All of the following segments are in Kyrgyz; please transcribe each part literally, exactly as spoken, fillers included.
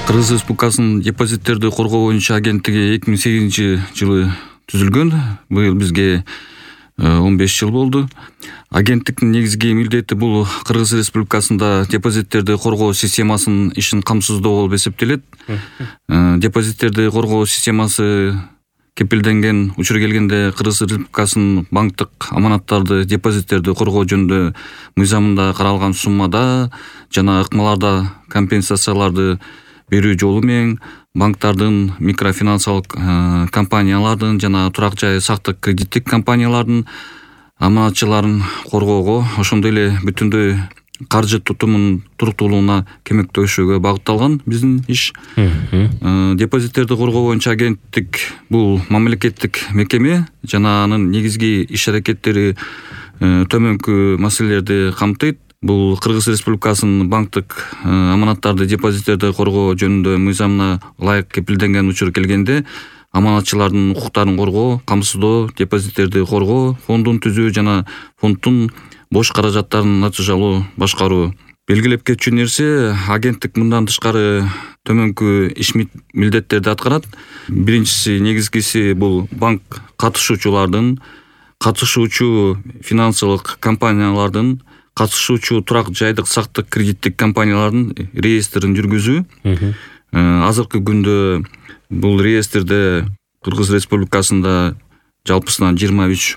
Кыргыз Республикасынын депозиттерди коргоо боюнча агенттиги эки миң сегизинчи жылы түзүлгөн. Быйыл бизге он беш жыл болду. Агенттиктин негизги милдети бул Кыргыз Республикасында депозиттерди коргоо системасынын ишин камсыздоо болуп эсептелет. Депозиттерди коргоо системасы кепилденген учур келгенде Кыргыз Республикасынын банктык аманаттарды, депозиттерди коргоо жөнүндө мыйзамында каралган суммада жана ыкмаларда компенсацияларды берүү жолу менен банктардын, микрофинансылык компаниялардын жана турак жай сактык кредиттик компаниялардын аманатчыларын коргоого, ошондой эле бүтүндөй каржы тутумунун туруктуулугуна көмөктөшүүгө багытталган биздин иш. Депозиттерди коргоо боюнча агенттик бул мамлекеттик мекеме жана анын негизги иш-аракеттери төмөнкү маселелерди камтыйт. Бул Кыргыз Республикасынын банктык аманаттарды, депозиттерди коргоо жөнүндө мыйзамына ылайык кепилденген учур келгенде аманатчылардын укуктарын коргоо, камсыздоо, депозиттерди коргоо, фондун түзүү жана фонддун бош каражаттарын натыйжалуу башкаруу. Белгилеп кетчү нерсе, агенттик мындан тышкары төмөнкү иш милдеттерди аткарат. Биринчиси, негизгиси бул банк катышуучулардын, катышуучу финансылык компаниялардын, катышуучу турак жайдык сактык кредиттик компаниялардын реестрин жүргүзүү. Азыркы күндө бул реестрде Кыргыз Республикасында жалпысынан жыйырма үч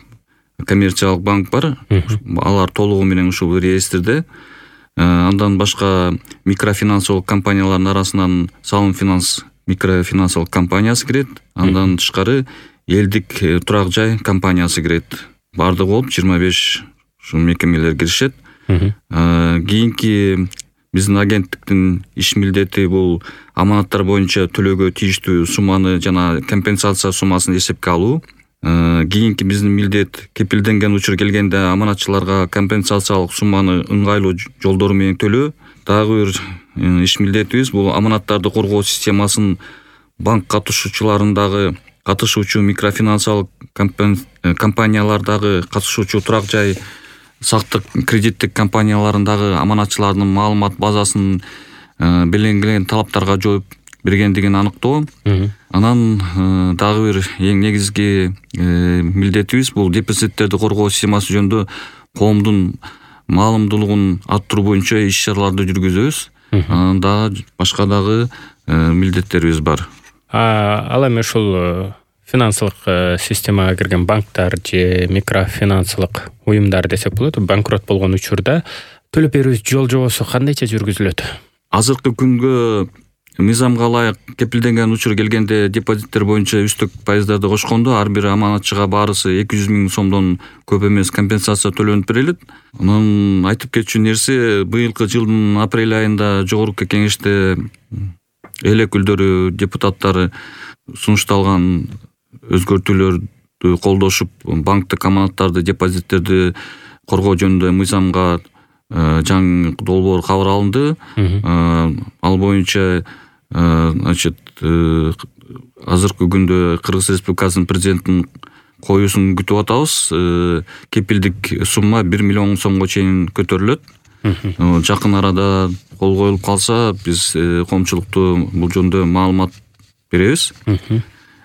коммерциялык банк бар. Алар толугу менен ушул реестрде. Андан башка микрофинансылык компаниялардын арасынан Салым Финанс микрофинансылык компаниясы кирет. Андан тышкары элдик турак жай компаниясы кирет. Бардыгы болуп жыйырма беш ушул мекемелер киришет. Кийинки биздин агенттиктин иш милдети бул аманаттар боюнча төлөөгө тийиштүү сумманы жана компенсация суммасын эсепке алуу. Кийинки биздин милдет кепилденген учур келгенде аманатчыларга компенсациялык сумманы ыңгайлуу жолдору менен төлөө. Дагы бир иш милдетибиз бул аманаттарды коргоо системасын банк катышуучуларындагы, катышуучу микрофинансылык компаниялардагы, катышуучу турак жай сактык кредиттик компанияларындагы аманатчылардын маалымат базасын белгиленген талаптарга жооп бергендигин аныктоо. Анан дагы бир эң негизги милдетибиз бул депозиттерди коргоо системасы жөнүндө коомдун маалымдуулугун арттыруу боюнча иш-чараларды жүргүзөбүз. Анан дагы башка дагы милдеттерибиз бар. Ал эми ушул финансылык системага кирген банктар же микрофинансылык уюмдар десек болот, банкрот болгон учурда төлөп берүү жол жобосу кандайча жүргүзүлөт? Азыркы күнгө мыйзамга ылайык кепилденген учур келгенде депозиттер боюнча үстүк пайыздарды кошкондо ар бир аманатчыга баарысы эки жүз миң сомдон көп эмес компенсация төлөнүп берилет. Анан айтып кетчү нерсе, быйылкы жылдын апрель айында жогорку кеңеште эл өкүлдөрү, депутаттары сунушталган өзгөртүүлөрдү колдошуп, банктык аманаттарды, депозиттерди коргоо жөнүндө мыйзамга жаңы долбоор кабыл алынды. Ал боюнча значит азыркы күндө Кыргыз Республикасынын президентинин коюусун күтүп атабыз. Кепилдик сумма бир миллион сомго чейин көтөрүлөт. Жакын арада кол коюлуп калса, биз коомчулукту бул жөнүндө маалымат беребиз.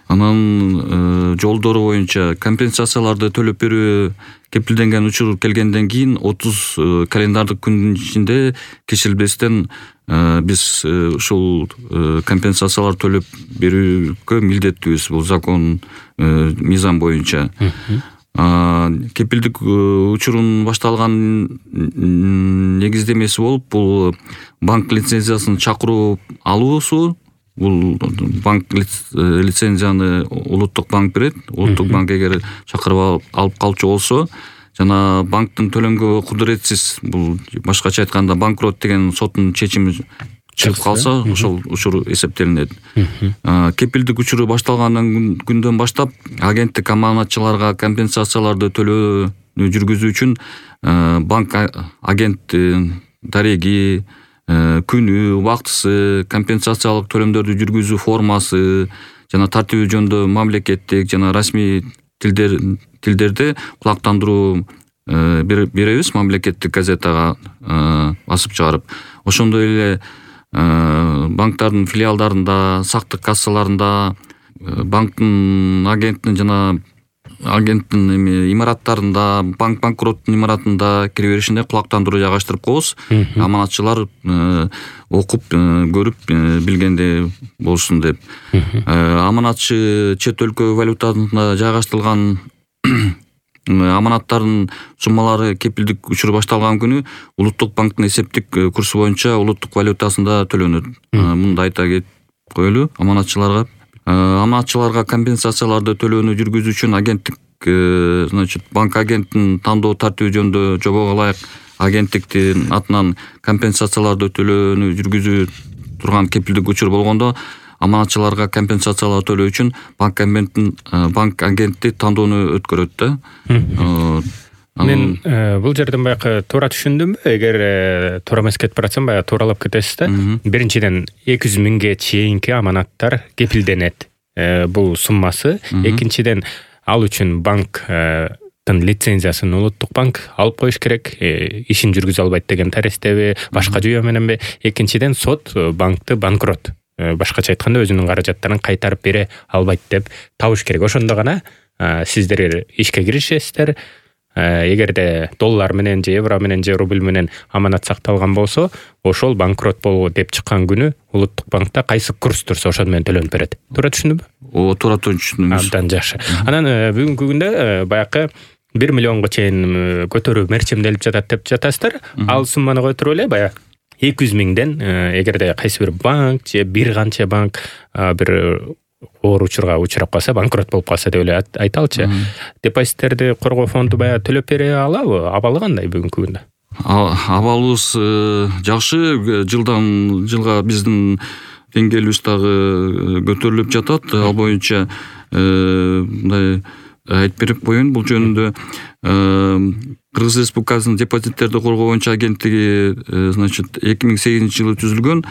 Анан жолдору боюнча компенсацияларды төлөп берүү кепилденген учур келгенден кийин отуз календардык күндүн ичинде кечилбестен биз ушул компенсацияларды төлөп берүүгө милдеттүүбүз. Бул закон, мыйзам боюнча. Кепилдик учурун башталган негиздемеси болуп, бул банк лицензиясын чакыруу алуусу. Бул банк лицензияны улуттук банк берет. Улуттук банк эгер чакырып алып калчу болсо, жана банктын төлөнгө кудуретсиз, бул башкача айтканда банкрот деген соттун чечими чыгып калса, ошол учур эсептелинет. Кепилдик учуру башталгандан күндөн баштап агенттик аманатчыларга компенсацияларды төлөөнү жүргүзүү үчүн банк агент дареги, күнү, убактысы, компенсациялык төлөмдөрдү жүргүзүү формасы жана тартиби жөнүндө мамлекеттик жана расмий тилдер тилдерде кулактандыруу беребиз мамлекеттик газетага басып чыгарып. Ошондой эле банктардын филиалдарында, сактык кассаларында, банктын агенттин жана агенттин эми имараттарында, банк банкроттун имаратында кире беришинде кулактандыруу жайгаштырып коебуз. Аманатчылар окуп, көрүп билгенде болсун деп. Аманатчы чет өлкө валютасында жайгаштырылган аманаттардын суммалары кепилдик учуру башталган күнү улуттук банктын эсептик курсу боюнча улуттук валютасында төлөнөт. Мындай айта кетип коелу аманатчыларга. Аманатчыларга компенсацияларды төлөөнү жүргүзүү үчүн агенттик, значит, банк агенттин тандоо тартиби жөнүндө жобого ылайык агенттиктин атынан компенсацияларды төлөөнү жүргүзүү турган кепилдик учур болгондо аманатчыларга компенсациялар төлөө үчүн банк агенттин банк агенти тандоону өткөрөт да. Мен бул жерден баягы туура түшүндүмбү? Эгер туура эмес кетип баратсам, баягы тууралап кетесиз да. Биринчиден эки жүз миңге чейинки аманаттар кепилденет. Бул суммасы. Экинчиден ал үчүн банктын лицензиясын улуттук банк алып коюш керек. Ишин жүргүзө албайт деген таристеби, башка жүйө мененби? Экинчиден сот банкты банкрот, башкача айтканда өзүнүн каражаттарын кайтарып бере албайт деп табыш керек. Ошондо гана сиздер ишке киришесиздер. Эгерде доллар менен же евро менен же рубль менен аманат сакталган болсо, ошол банкрот болуу деп чыккан күнү улуттук банкта кайсы курс турса ошол менен төлөнүп берет. Туура түшүндүмбү? О, туура түшүндүңүз. Абдан жакшы. Анан бүгүнкү күндө баягы бир миллионго чейин көтөрүү мерчемделип жатат деп жатасыздар. Ал сумманы көтөрүп эле баягы эки жүз миңден, эгерде кайсы бир банк же бир канча банк бир оор учурга учурап калса, банкрот болуп калса деп эле айталычы. Депозиттерди коргоо фонду баягы төлөп бере алабы? Абалы кандай бүгүнкү күндө? Абалыбыз жакшы. Жылдан жылга биздин деңгээлибиз дагы көтөрүлүп жатат. Ал боюнча мындай айтып берип коеюн бул жөнүндө. Кыргыз Республикасынын депозиттерди коргоо боюнча агенттиги, значит, эки миң сегизинчи жылы түзүлгөн.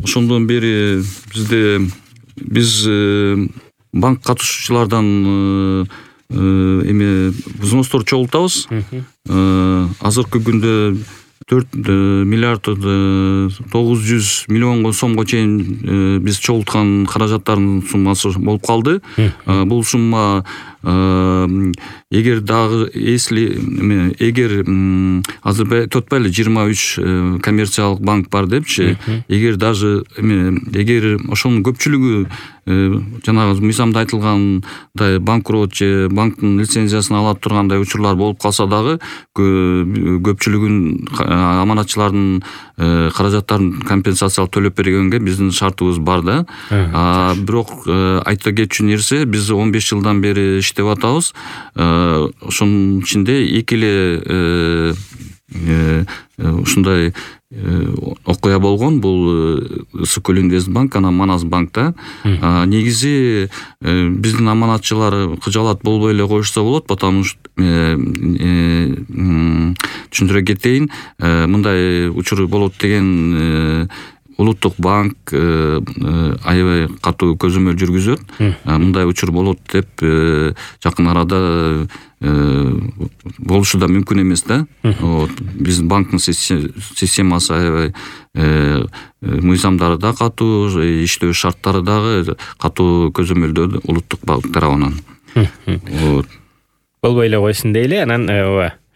Ошондон бери бизде биз банк катышуучулардан эми взностор чогултабыз. Азыркы күндө төрт миллиард тогуз жүз миллионго сомго чейин биз чогулткан каражаттардын суммасы болуп калды. Бул сумма эгер дагы если эгер азыр тотпайлы жыйырма үч коммерциялык банк бар депчи, эгер даже эгер ошонун көпчүлүгү жанагы мыйзамда айтылгандай банкрот же банктын лицензиясын ала тургандай учурлар болуп калса дагы көпчүлүгүн аманатчылардын каражаттарын компенсациялап төлөп бергенге биздин шартыбыз бар да. Бирок айта кетчү нерсе, биз он беш жылдан бери иштеп атабыз. Ошонун ичинде эки эле ушундай окуя болгон. Бул Ысык-Көл Инвестбанк, анан Манас банкта. Негизи биздин аманатчылар кыжаалат болбой эле коюшса болот, потому что түшүндүрө кетейин, мындай учур болот деген улуттук банк аябай катуу көзөмөл жүргүзөт. Мындай учур болот деп жакын арада болушу да мүмкүн эмес да. Биздин банктын системасы аябай мыйзамдары да катуу, иштөө шарттары дагы катуу көзөмөлдөө улуттук банк тарабынан. Болбой эле койсун дейли. Анан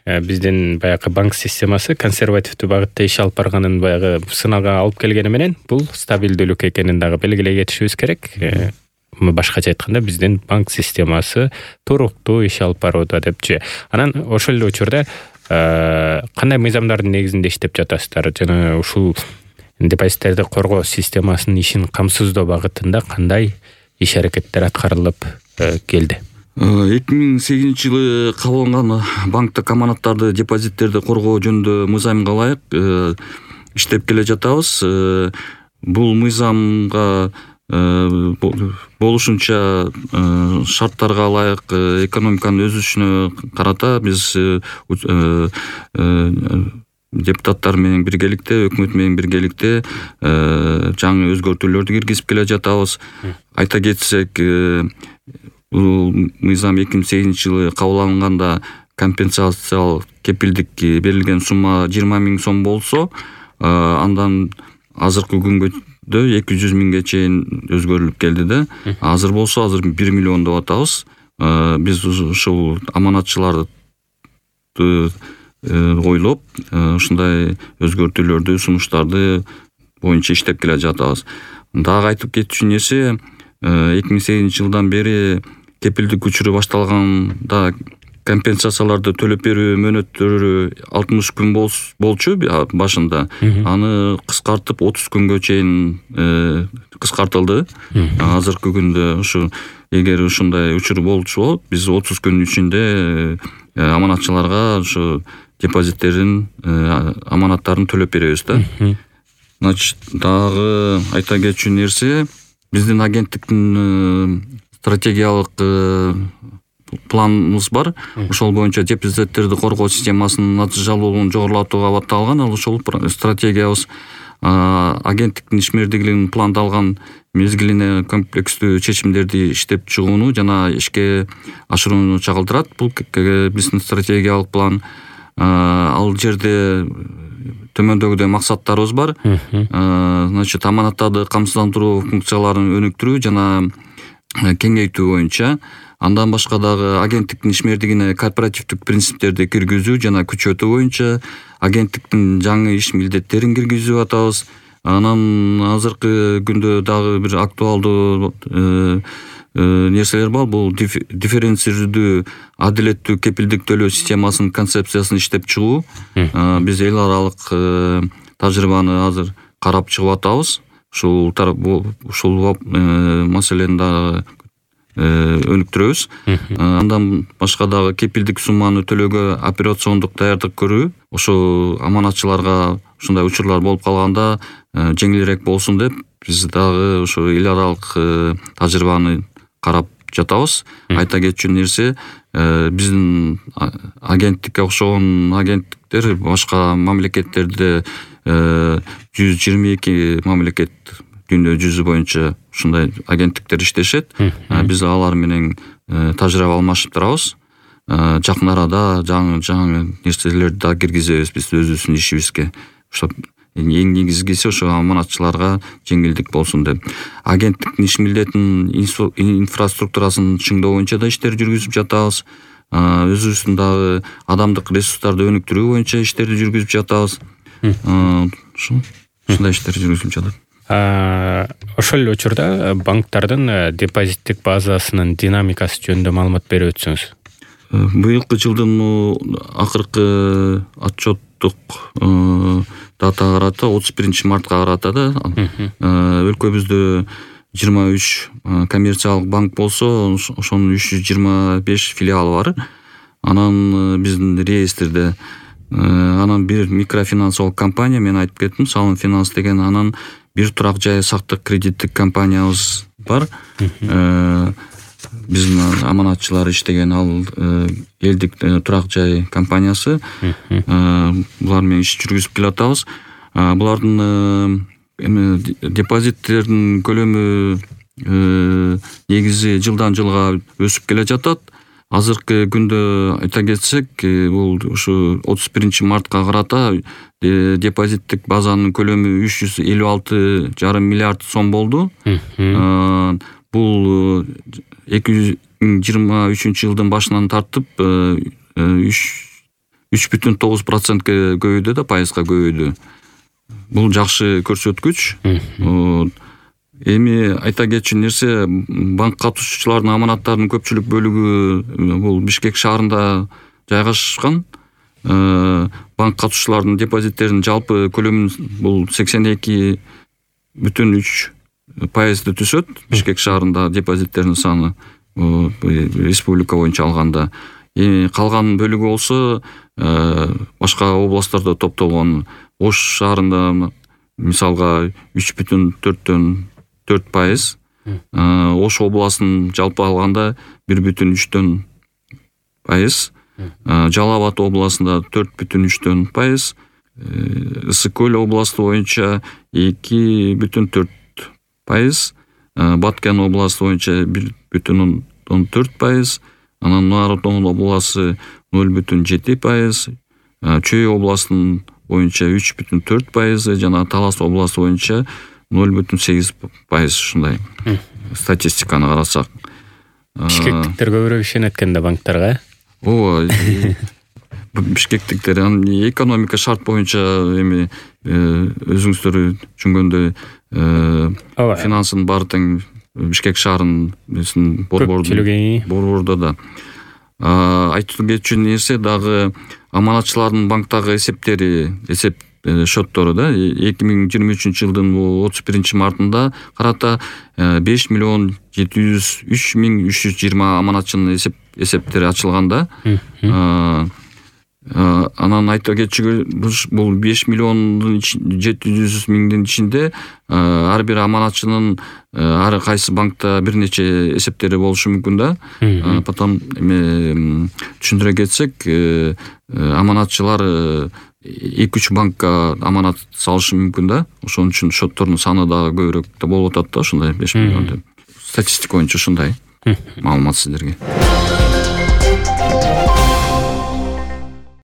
биздин баягы банк системасы консервативдүү багытта иш алып барганын баягы сынага алып келгени менен бул стабилдүүлүк экенин дагы белгилей кетишибиз керек. Башкача айтканда биздин банк системасы туруктуу иш алып барууда депчи. Анан ошол эле учурда кандай мыйзамдардын негизинде иштеп жатасыздар? Жана ушул депозиттерди коргоо системасынын ишин камсыздоо багытында кандай иш аракеттер аткарылып келди? эки миң сегизинчи жылы кабыл алынган банктык аманаттарды, депозиттерди коргоо жөнүндө мыйзамга ылайык иштеп келе жатабыз. Бул мыйзамга болушунча шарттарга ылайык экономиканын өсүшүнө карата биз депутаттар менен биргеликте, өкмөт менен биргеликте жаңы өзгөртүүлөрдү киргизип келе жатабыз. Айта кетсек, бул мыйзам эки миң сегизинчи жылы кабыл алынганда компенсациялык кепилдик берилген сумма жыйырма миң сом болсо, андан азыркы күнгө эки жүз миңге чейин өзгөрүлүп келди да. Азыр болсо азыр бир миллион деп атабыз. Биз ушул аманатчыларды ойлоп ушундай өзгөртүүлөрдү, сунуштарды боюнча иштеп келе жатабыз. Дагы айтып кетчү нерсе, эки миң сегизинчи жылдан бери кепилдик учуру башталганда компенсацияларды төлөп берүү мөөнөттөрү алтымыш күн болчу башында. Аны кыскартып отуз күнгө чейин кыскартылды. Азыркы күндө ушу эгер ушундай учур болчу, биз отуз күн ичинде аманатчыларга ушу депозиттерин, аманаттарын төлөп беребиз да. Значит, дагы айта кетчү нерсе, биздин агенттиктин стратегиялык планыбыз бар. Ошол боюнча депозиттерди коргоо системасынын натыйжалуулугун жогорулатууга батталган. Ал ошол стратегиябыз агенттиктин ишмердүүлүгүн пландалган мезгилине комплекстүү чечимдерди иштеп чыгууну жана ишке ашырууну чагылдырат. Бул биздин стратегиялык план. Ал жерде төмөндөгүдөй максаттарыбыз бар. Значит, аманаттарды камсыздандыруу функцияларын өнүктүрүү жана кеңейтүү боюнча. Андан башка дагы агенттиктин ишмердигине корпоративдик принциптерди киргизүү жана күчөтүү боюнча агенттиктин жаңы иш милдеттерин киргизип атабыз. Анан азыркы күндө дагы бир актуалдуу нерселер бар. Бул дифференцирдүү, адилеттүү кепилдик төлөө системасынын концепциясын иштеп чыгуу. Биз эл аралык тажрыйбаны азыр карап чыгып атабыз. Ушул ушул маселени дагы өнүктүрөбүз. Андан башка дагы кепилдик сумманы төлөөгө операциондук даярдык көрүү. Ошо аманатчыларга ушундай учурлар болуп калганда жеңилирээк болсун деп, биз дагы ошо эл аралык тажрыйбаны карап жатабыз. Айта кетчү нерсе, биздин агенттикке окшогон агенттиктер башка мамлекеттерде жүз жыйырма эки мамлекет дүйнө жүзү боюнча ушундай агенттиктер иштешет. Биз алар менен тажрыйба алмашып турабыз. Жакын арада жаңы жаңы нерселерди да киргизебиз биз өзүбүздүн ишибизге. Ошо эң негизгиси ошо аманатчыларга жеңилдик болсун деп. Агенттиктин иш милдетинин инфраструктурасын чыңдоо боюнча да иштер жүргүзүп жатабыз. Өзүбүздүн дагы адамдык ресурстарды өнүктүрүү боюнча иштерди жүргүзүп жатабыз. Ушундай иштер жүргүзүлүп жатат. Ошол эле учурда банктардын депозиттик базасынын динамикасы жөнүндө маалымат берип өтсөңүз. Быйылкы жылдын акыркы отчеттук дата карата отуз биринчи мартка карата да өлкөбүздө жыйырма үч коммерциялык банк болсо, ошонун үч жүз жыйырма беш филиалы бар. Анан биздин реестрде анан бир микрофинансылык компания, мен айтып кеттим, Салым Финанс деген, анан бир турак жай сактык кредиттик компаниябыз бар. Биздин аманатчылар иштеген ал элдик турак жай компаниясы. Булар менен иш жүргүзүп келатабыз. Булардын депозиттердин көлөмү негизи жылдан жылга өсүп келе жатат. Азыркы күндө айта кетсек, бул ушу отуз биринчи мартка карата депозиттик базанын көлөмү үч жүз элүү алты жарым миллиард сом болду. Бул эки миң жыйырма үчүнчү жылдын башынан тартып үч бүтүн тогуз процентке көбөйдү да, пайызга көбөйдү. Бул жакшы көрсөткүч. Эми айта кетчү нерсе, банк катышуучуларынын аманаттарынын көпчүлүк бөлүгү бул Бишкек шаарында жайгашкан. Банк катышуучуларынын депозиттеринин жалпы көлөмү бул сексен эки бүтүн үч пайызды түзөт. Бишкек шаарында депозиттердин саны республика боюнча алганда. Эми калган бөлүгү болсо башка областтарда топтолгон. Ош шаарында мисалга үч бүтүн төрттөн төрт пайыз. Ош областынын жалпы алганда бир бүтүн үчтөн пайыз. Жалал Абад областында төрт бүтүн үчтөн пайыз. Ысык Көл областы боюнча эки бүтүн төрт пайыз. Баткен областы боюнча бир бүтүн он төрт пайыз. Анан Нур Отон областы нөл бүтүн жети пайыз. Чүй областынын боюнча үч бүтүн төрт пайызы, жана Талас областы боюнча ноль бүтүн сегиз пайыз ушундай статистиканы карасак. Бишкектиктер көбүрөөк ишенет экен да банктарга. Ооба. Бишкектиктер экономика шарт боюнча эми өзүңүздөр түшүнгөндөй финансын баары тең Бишкек шаарынын борбордо да. Айтылып кетчү нерсе дагы аманатчылардын банктагы эсептери, эсеп шоттору да эки миң жыйырма үчүнчү жылдын отуз биринчи мартында карата беш миллион жети жүз үч миң үч жүз жыйырма аманатчынын эсеп эсептери ачылган да. Анан айта кетчү бул беш миллиондун жети жүз миңдин ичинде ар бир аманатчынын ар кайсы банкта бир нече эсептери болушу мүмкүн да. Потом түшүндүрө кетсек, аманатчылар эки үч банкка аманат салышы мүмкүн да. Ошон үчүн шоттордун саны дагы көбүрөөк да болуп атат да, ушундай беш миллион деп. Статистика боюнча ушундай маалымат сиздерге.